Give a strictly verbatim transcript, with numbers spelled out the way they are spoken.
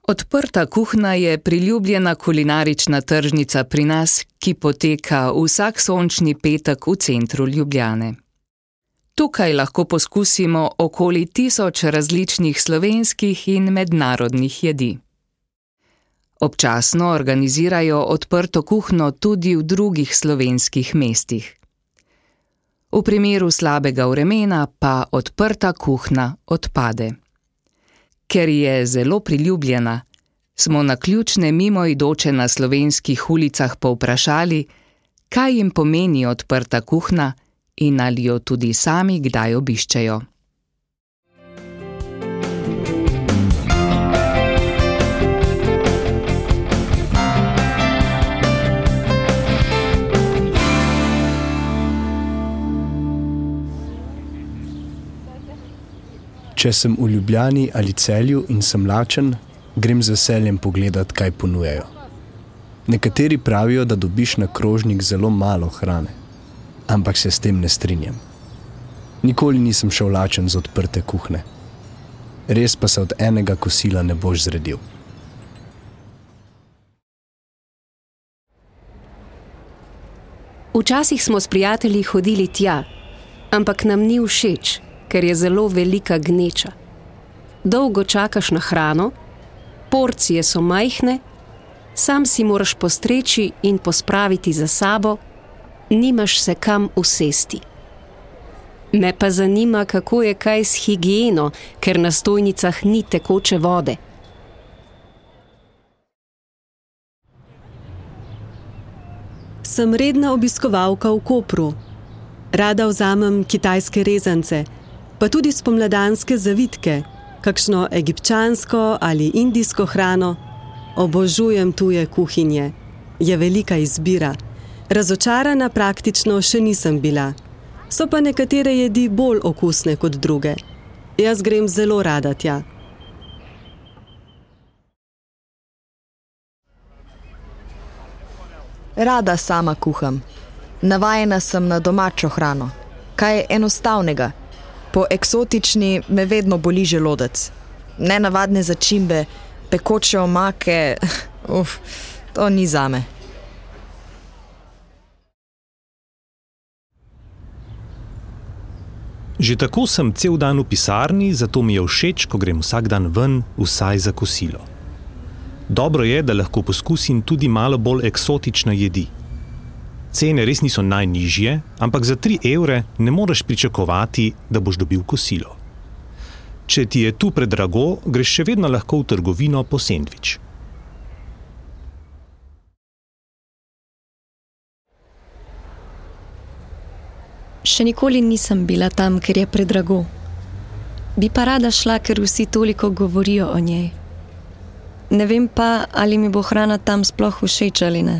Odprta kuhna je priljubljena kulinarična tržnica pri nas, ki poteka vsak sončni petek v centru Ljubljane. Tukaj lahko poskusimo okoli tisoč različnih slovenskih in mednarodnih jedi. Občasno organizirajo odprto kuhno tudi v drugih slovenskih mestih. V primeru slabega vremena pa odprta kuhna odpade. Ker je zelo priljubljena, smo naključne mimoidoče na slovenskih ulicah povprašali, kaj jim pomeni odprta kuhna in ali jo tudi sami kdaj obiščejo. Če sem v Ljubljani ali Celju in sem lačen, grem z veseljem pogledat, kaj ponujajo. Nekateri pravijo, da dobiš na krožnik zelo malo hrane, ampak se s tem ne strinjam. Nikoli nisem šel lačen z odprte kuhne. Res pa se od enega kosila ne boš zredil. Včasih smo s prijatelji hodili tja, ampak nam ni všeč, ker je zelo velika gneča. Dolgo čakaš na hrano, porcije so majhne, sam si moraš postreči in pospraviti za sabo, nimaš se kam usesti. Me pa zanima, kako je kaj s higieno, ker na stojnicah ni tekoče vode. Sem redna obiskovalka v Kopru. Rada vzamem kitajske rezance, pa tudi spomladanske zavitke, kakšno egipčansko ali indijsko hrano. Obožujem tuje kuhinje. Je velika izbira. Razočarana praktično še nisem bila. So pa nekatere jedi bolj okusne kot druge. Jaz grem zelo rada tja. Rada sama kuham. Navajena sem na domačo hrano. Kaj je enostavnega? Po eksotični me vedno boli želodec. Nenavadne začimbe, pekoče omake, uf, to ni zame. Že tako sem cel dan v pisarni, zato mi je všeč, ko grem vsak dan ven, vsaj za kosilo. Dobro je, da lahko poskusim tudi malo bolj eksotične jedi. Cene res niso najnižje, ampak za tri evre ne moreš pričakovati, da boš dobil kosilo. Če ti je tu predrago, greš še vedno lahko v trgovino po sendvič. Še nikoli nisem bila tam, ker je predrago. Bi pa rada šla, ker vsi toliko govorijo o njej. Ne vem pa, ali mi bo hrana tam sploh všeč ali ne.